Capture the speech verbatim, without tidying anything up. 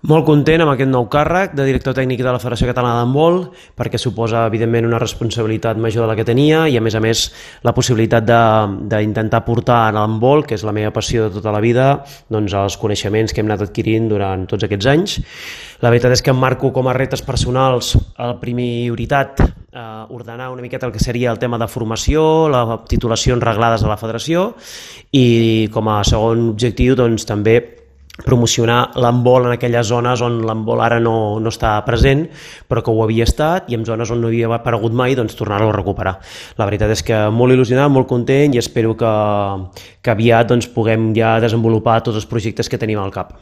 Molt content amb aquest nou càrrec de director tècnic de la Federació Catalana d'Handbol, perquè suposa, evidentment, una responsabilitat major de la que tenia i, a més a més, la possibilitat d'intentar portar a l'handbol, que és la meva passió de tota la vida, doncs, els coneixements que hem anat adquirint durant tots aquests anys. La veritat és que em marco com a reptes personals a la prioritat eh, ordenar una miqueta el que seria el tema de formació, les titulacions reglades a la federació i, com a segon objectiu, doncs, també promocionar l'handbol en aquelles zones on l'handbol ara no, no està present, però que ho havia estat, i en zones on no havia aparegut mai, doncs tornar-lo a recuperar. La veritat és que molt il·lusionat, molt content, i espero que, que aviat doncs, puguem ja desenvolupar tots els projectes que tenim al cap.